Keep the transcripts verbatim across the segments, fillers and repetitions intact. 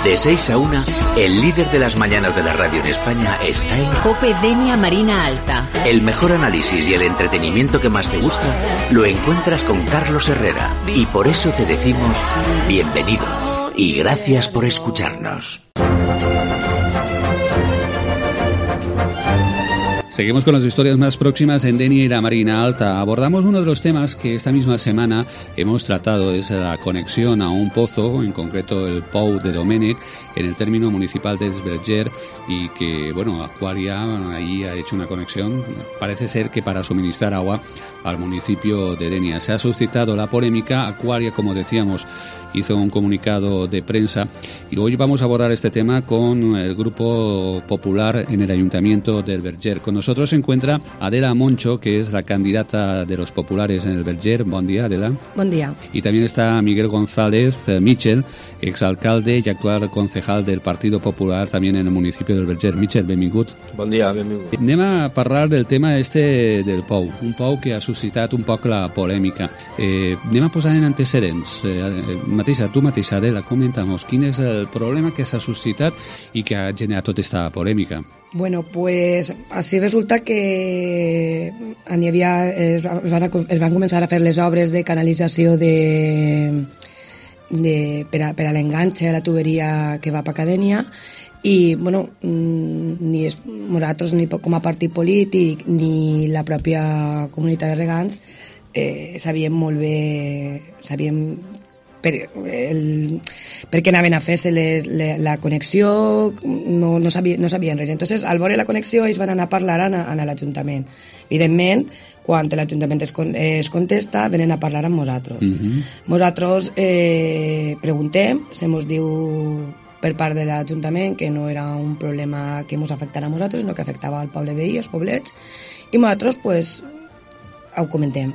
De seis a una, el líder de las mañanas de la radio en España está en Cope Denia Marina Alta. El mejor análisis y el entretenimiento que más te gusta lo encuentras con Carlos Herrera. Y por eso te decimos bienvenido y gracias por escucharnos. Seguimos con las historias más próximas en Denia y la Marina Alta. Abordamos uno de los temas que esta misma semana hemos tratado, es la conexión a un pozo, en concreto el Pou de Domènec, en el término municipal de Esberger, y que, bueno, Aqualia ahí ha hecho una conexión, parece ser que para suministrar agua al municipio de Denia. Se ha suscitado la polémica. Aqualia, como decíamos, hizo un comunicado de prensa y hoy vamos a abordar este tema con el Grupo Popular en el Ayuntamiento del Verger. Con nosotros se encuentra Adela Moncho, que es la candidata de los populares en el Verger. Buen día, Adela. Buen día. Y también está Miguel González eh, Michel, exalcalde y actual concejal del Partido Popular también en el municipio del Verger. Michel, benvingut. Bon dia, benvingut. Anem a parlar del tema este del Pou, un Pou que ha suscitat un poc la polèmica. Eh, anem a posar en antecedents. Eh, mateixa, tu mateixa, Adela, comenta'ns quin és el problema que s'ha suscitat i que ha generat tota aquesta polèmica. Bueno, pues así resulta que n'hi havia, es, van a, es van començar a fer les obres de canalització de, de, per a, per a l'enganxe a la tuberia que va per Cadènia i, bueno, ni es, nosaltres ni com a partit polític ni la pròpia comunitat de regants eh, sabíem molt bé, sabíem per, el, per què anaven a fer-se les, les, la connexió, no, no, sabia, no sabien res. Entonces, al veure la connexió, ells van anar a parlar a, a l'Ajuntament. Evidentment, quan l'Ajuntament es, es contesta, venen a parlar amb nosaltres. Uh-huh. Nosaltres eh, preguntem, se mos diu per part de l'Ajuntament que no era un problema que ens afectara a nosaltres, sinó que afectava al poble veí, als poblets, i nosaltres pues, ho comentem.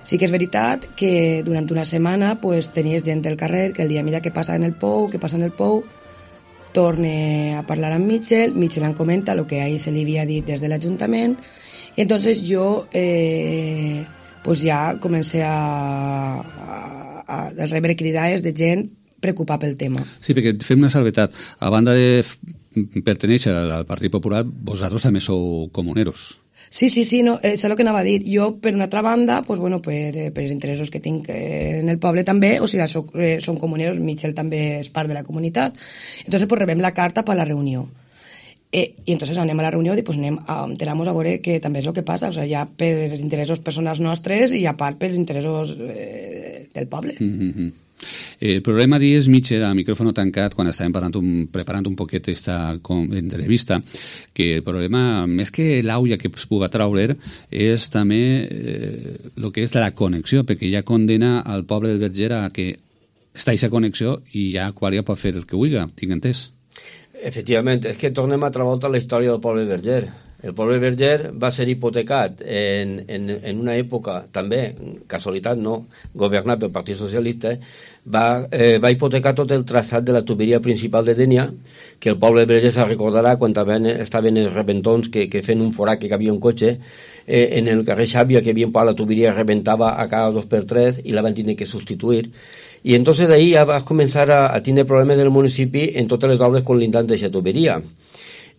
Sí que és veritat que durant una setmana pues, tenies gent del carrer que el dia mira què passa en el Pou, què passa en el Pou, torne a parlar amb Michel, Michel em comenta el que ahir se li havia dit des de l'Ajuntament i entonces jo eh, pues ja comencé a, a, a rebre cridades de gent preocupada pel tema. Sí, perquè fem una salvetat. A banda de pertenèixer al Partit Popular, vosaltres també sou comuneros. Sí, sí, sí, no, és el que anava a dir. Jo, per una altra banda, pues, bueno, per, per els interessos que tinc en el poble també, o sigui, soc, eh, som comuneros, Michel també és part de la comunitat, entonces pues, rebem la carta per a la reunió. Eh, I entonces anem a la reunió i pues, anem a enterar-nos a veure què també és el que passa, o sigui, ja per interessos personals nostres i a part per interessos eh, del poble. Mm-hmm. El problema és, Michel, a micròfono tancat, quan estàvem un, preparant un poquet aquesta entrevista, que el problema, més que l'auia que es pugui traure, és també eh, el que és la connexió, perquè ja condena al poble del Verger a que està aquesta connexió i ja Aqualia pot fer el que vulgui, tinc entès. Efectivament, és que tornem a altra volta a la història del poble del Verger. El poble Verger va ser hipotecat en, en, en una època, també, casualitat no, governat pel Partit Socialista, va, eh, va hipotecar tot el traçat de la tuberia principal de Denia, que el poble Verger se recordarà quan estaven els rebentons que, que fent un forat que cabia un cotxe, eh, en el carrer Xàbia, que havia la tuberia rebentava a cada dos per tres i la van tenir que substituir. I entonces d'ahí ja vas començar a, a tenir problemes del municipi en totes les obres colindants d'aquesta tuberia.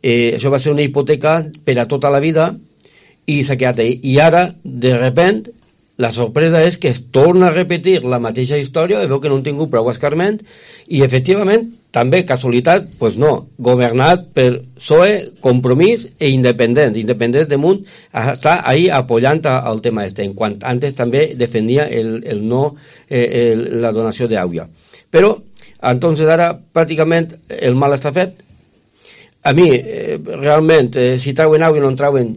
Eh, això va ser una hipoteca per a tota la vida i s'ha quedat ahí. I ara, de repent, la sorpresa és que es torna a repetir la mateixa història, veu que no han tingut prou escarment, i efectivament, també, casualitat, pues no, governat per P S O E, Compromís e Independents. Independents de Munt està ahí apoyant el tema este, en quant antes també defendia el, el no, eh, el, la donació d'aigua. Però, entonces ara, pràcticament, el mal està fet. A mi, eh, realment, eh, si trauen aigua i no en trauen,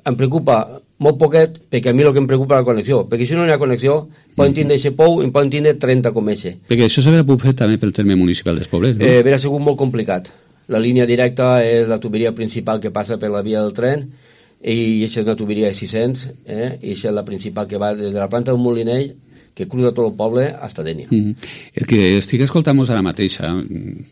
em preocupa molt poquet, perquè a mi el que em preocupa la connexió, perquè si no hi ha connexió, poden tindre aquest pou i poden tindre trenta com eixe. Perquè això s'haurà pogut fer també pel terme municipal dels pobles, no? Eh, Verà sigut molt complicat. La línia directa és la tuberia principal que passa per la via del tren, i aquesta és una tuberia de sis-cents, eh? i aquesta és la principal que va des de la planta d'un molinell que cruza tot el poble hasta Dénia. Mm-hmm. El que estic escoltant-nos ara mateix,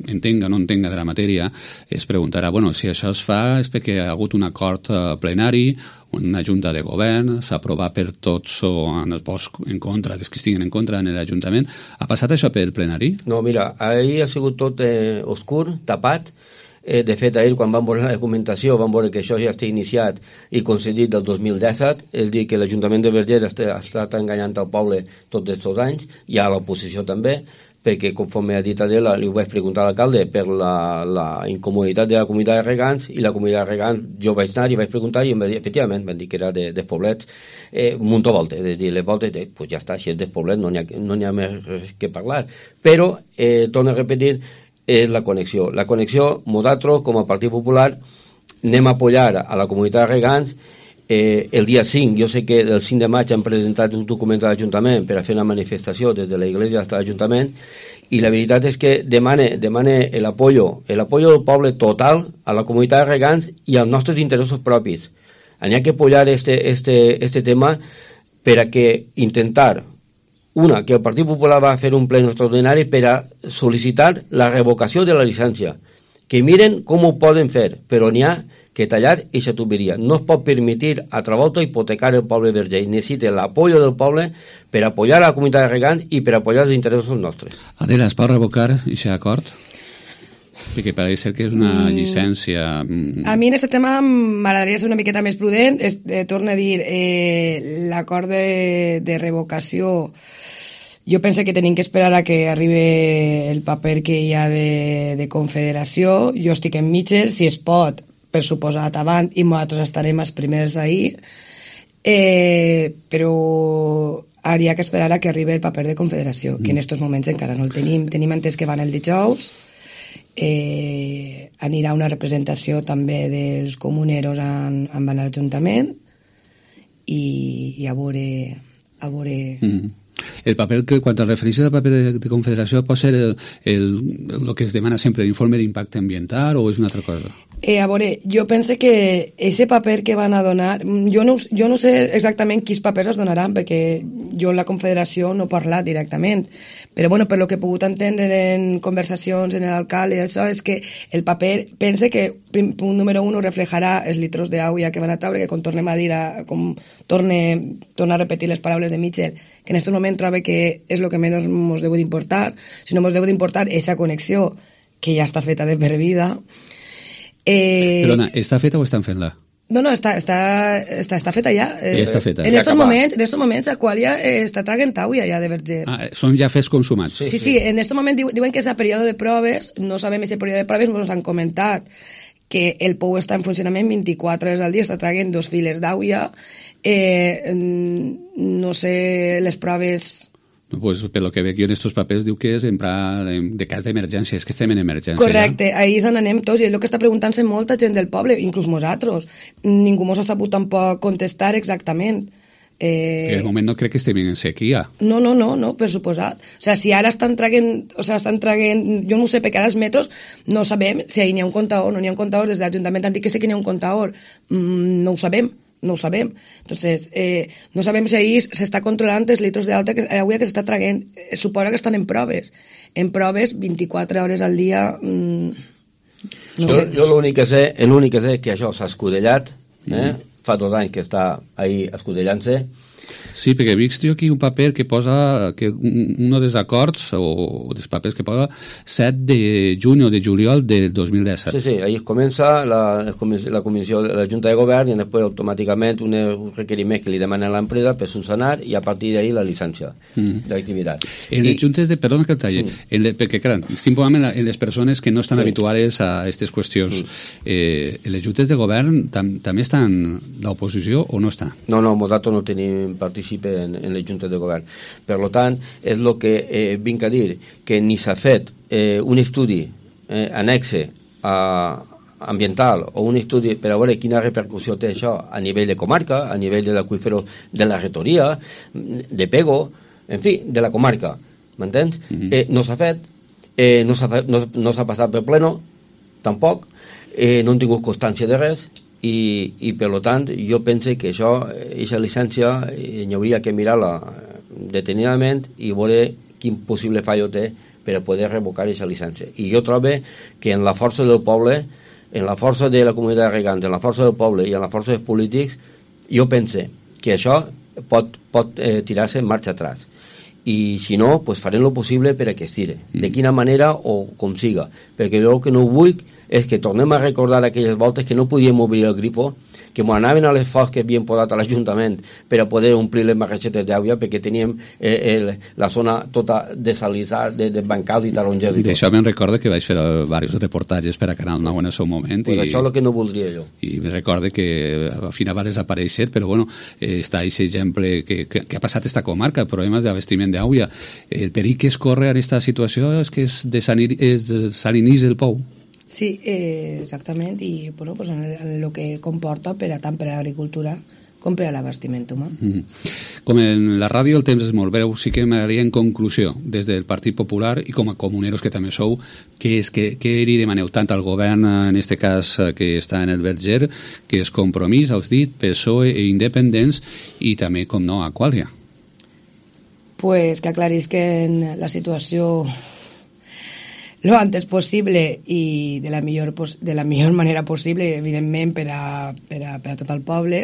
entenga o no entenga de la matèria, es preguntarà, bueno, si això es fa és perquè hi ha hagut un acord plenari, una junta de govern, s'ha aprovat per tots o en els vots en contra, dels que estiguen en contra en l'Ajuntament. Ha passat això per plenari? No, mira, ahir ha sigut tot eh, oscur, tapat. Eh, de fet, ahir, quan vam veure la documentació, vam veure que això ja està iniciat i concedit del dos mil disset, és dir, que l'Ajuntament de Verger ha estat enganyant al poble tots aquests anys, i a l'oposició també, perquè, conforme ha dit Adela, li ho vaig preguntar a l'alcalde per la, la incomoditat de la comunitat de regants, i la comunitat de regants, jo vaig anar i vaig preguntar, i em va dir, efectivament, van dir que era de, dels poblets, eh, un munt de voltes, és dir, les voltes, eh, pues ja està, si és dels poblets no n'hi ha, no n'hi ha més que parlar. Però, eh, torno a repetir, és la connexió. La connexió, nosaltres, com a Partit Popular, anem a apoyar a la comunitat de regants. Eh, el dia cinc, jo sé que el cinc de maig han presentat un document a l'Ajuntament per a fer una manifestació des de la Iglesia fins a l'Ajuntament, i la veritat és que demane, demane el apoyo, el apoyo del poble total a la comunitat de regants i als nostres interessos propis. N'hi ha que apoyar este, este, este tema per a que intentar, una, que el Partit Popular va fer un ple extraordinari per a sol·licitar la revocació de la llicència. Que miren com ho poden fer, però n'hi ha que tallar aquesta tuberia. No es pot permetir a altra volta hipotecar el poble verger. Necessita l'apoyo del poble per apoyar a la comunitat de regants i per apoyar els interessos nostres. Adela, es pot revocar aquest acord? Perquè pareix ser que és una llicència... A mi en aquest tema m'agradaria ser una miqueta més prudent. Eh, torno a dir, eh, l'acord de, de revocació, jo penso que tenim que esperar a que arribi el paper que hi ha de, de confederació. Jo estic en Mitchell, si es pot, per suposat avant, i nosaltres estarem els primers ahir, eh, però hauria que esperar a que arribi el paper de confederació, que en aquests moments encara no el tenim. Tenim entès que van el dijous, eh, anirà una representació també dels comuneros en, en van a l'Ajuntament, i, i a veure... A veure... Mm. El paper, que quan te refereixes al paper de, de confederació, pot ser el, el, el que es demana sempre, l'informe d'impacte ambiental, o és una altra cosa? Eh, a veure, jo penso que ese paper que van a donar, jo no, jo no sé exactament quins papers es donaran, perquè jo en la confederació no he parlat directament, però bueno, per lo que he pogut entendre en conversacions en l'alcalde, això és que el paper, pense que punt número un reflejarà els litros d'aigua que van a treure, que com tornem a dir, a, com torne, torna a repetir les paraules de Mitchell, que en aquest moment trobo que és el que menys ens deu d'importar, si no ens deu d'importar aquesta connexió que ja està feta de per vida. Eh... Perdona, està feta o estan fent-la? No, no, està, està, està, està feta ja. Eh, ja està feta. En estos moments, en estos moments Aqualia eh, està traient aigua ja de Verger. Ah, són ja fets consumats. Sí, sí, sí, en aquest moment diu, diuen que és a període de proves, no sabem si període de proves, ens han comentat que el pou està en funcionament vint-i-quatre hores al dia, està traient dos files d'aigua, eh, no sé, les proves... Pues, per lo que veig jo en estos papers diu que és en pla de cas d'emergència, és que estem en emergència. Correcte, ja? Ahir se'n anem tots, i és el que està preguntant-se molta gent del poble, inclús nosaltres. Ningú mos ha sabut tampoc contestar exactament. Eh... En el moment no crec que estem en sequia. No, no, no, no, per suposat. O sigui, si ara estan traient, o sigui, estan traient, jo no ho sé, perquè ara els metros no sabem si ahir n'hi ha un comptador, no n'hi ha un comptador, des de l'Ajuntament han dit que sé que n'hi ha un comptador, mm, no ho sabem. No ho sabem. Entonces, eh, no sabem si ahir s'està controlant els litros d'alta que, avui que s'està traient. Eh, suposa que estan en proves. En proves, vint-i-quatre hores al dia... Mm, no jo sé. jo l'únic que sé, l'únic que sé és que això s'ha escudellat, eh? Mm. Fa dos anys que està ahí escudellant-se. Sí, perquè he vist jo aquí un paper que posa que un dels acords o dels papers que posa set de juny o de juliol del dos mil disset. Sí, sí, ahí comença la, la comissió de la Junta de Govern i després automàticament un, un requeriment que li demana a l'empresa per subsanar i a partir d'ahí la llicència mm. d'activitat. En les juntes de... Perdona que el talle, mm. en le, perquè clar, simplement en les persones que no estan sí. habituades a aquestes qüestions, mm. eh, en les juntes de govern tam, també estan l'oposició o no està? No, no, nosaltres no tenim participe en, en les juntes de govern. Per tant, és el que eh, vinc a dir, que ni s'ha fet eh, un estudi eh, anexe a, ambiental o un estudi per a veure quina repercussió té això a nivell de comarca, a nivell de l'aqüífero de la retoria, de Pego, en fi, de la comarca, m'entens? Mm-hmm. eh, no s'ha fet, eh, no s'ha no, no s'ha passat per pleno, tampoc, eh, no han tingut constància de res, i, i per tant jo penso que això, aquesta llicència, hi hauria que mirar-la detenidament i veure quin possible fallo té per a poder revocar aquesta llicència. I jo trobo que en la força del poble, en la força de la comunitat de regants, en la força del poble i en la força dels polítics, jo pense que això pot, pot eh, tirar-se en marxa atrás. I si no, pues farem lo possible per a que es tire. De quina manera o com siga. Perquè jo el que no vull és que tornem a recordar aquelles voltes que no podíem obrir el grifo, que m'ho anaven a l'esforç que havien posat a l'Ajuntament per a poder omplir les marreixetes d'aigua, perquè teníem eh, el, la zona tota desalitzada, de, de bancals i tarongers. D'això me'n recordo que vaig fer diversos reportatges per a Canal nou en el seu moment. Pues i, això és el que no voldria jo. I me recordo que al final va desaparèixer, però bueno, eh, està aquest exemple que, que, que ha passat esta comarca, problemes d'abastiment d'aigua. El perill que es corre en aquesta situació és que es desalinís el pou. Sí, eh, exactament, i bueno, pues en, el, en lo que comporta per a tant per a l'agricultura com per a l'abastiment humà. Mm. Com en la ràdio el temps és molt breu, sí que m'agradaria en conclusió, des del Partit Popular i com a comuneros que també sou, què és que què li demaneu tant al govern, en este cas que està en el Verger, que és Compromís, els dit, P S O E i Independents, i també, com no, a Quàlia? Pues que aclarisquen la situació lo antes possible i de la millor, de la millor manera possible, evidentment, per a, per a, per a tot el poble,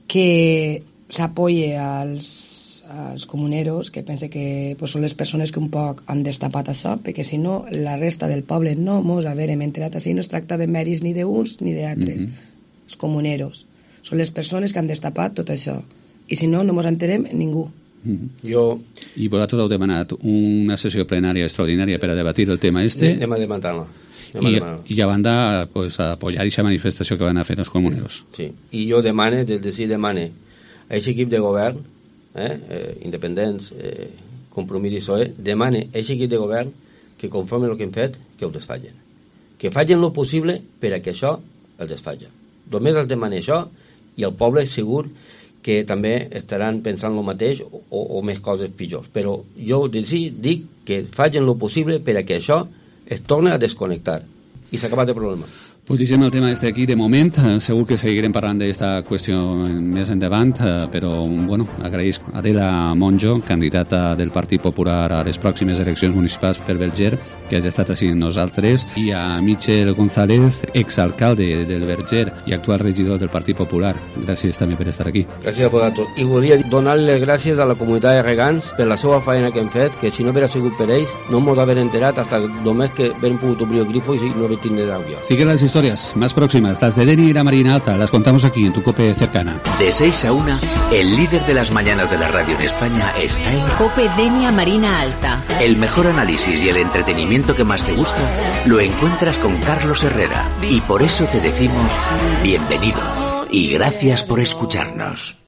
que s'apoye als, als comuneros, que pense que pues, són les persones que un poc han destapat això, perquè si no, la resta del poble no mos haverem enterat així, no es tracta de mèrits ni d'uns ni d'altres. Mm-hmm. Els comuneros són les persones que han destapat tot això, i si no, no mos enterem ningú. Mm-hmm. Jo... I vosaltres heu demanat una sessió plenària extraordinària per a debatir el tema este. Anem a demanar-la. I, i a banda, pues, a apoyar aquesta manifestació que van a fer els comuneros. Sí, i jo demane, des de si demane a aquest equip de govern, eh, eh, independents, eh, Compromís i P S O E, demane a aquest equip de govern que conforme el que hem fet, que ho desfallen. Que facin lo possible per a que això el desfalla. Només els demane això i el poble segur que també estaran pensant el mateix o, o més coses pitjors. Però jo sí, dic que facin el possible per a que això es torna a desconnectar i s'ha acabat el problema. Pues deixem el tema este aquí de moment, segur que seguirem parlant d'esta qüestió més endavant, però bueno, agraïs a Adela Monjo, candidata del Partit Popular a les pròximes eleccions municipals per Verger, que hagi estat així amb nosaltres, i a Michel González, exalcalde del Verger i actual regidor del Partit Popular. Gràcies també per estar aquí. Gràcies a vosaltres. I volia donar les gràcies a la comunitat de regants per la seva feina que hem fet, que si no haguera sigut per ells, no m'ho d'haver enterat fins només que haguem pogut obrir el grifo i no haver tingut d'aigua. Sigue las historias más próximas, las de Deni y la Marina Alta, las contamos aquí en tu COPE cercana. De seis a una, el líder de las mañanas de la radio en España está en COPE Denia Marina Alta. El mejor análisis y el entretenimiento que más te gusta lo encuentras con Carlos Herrera. Y por eso te decimos bienvenido y gracias por escucharnos.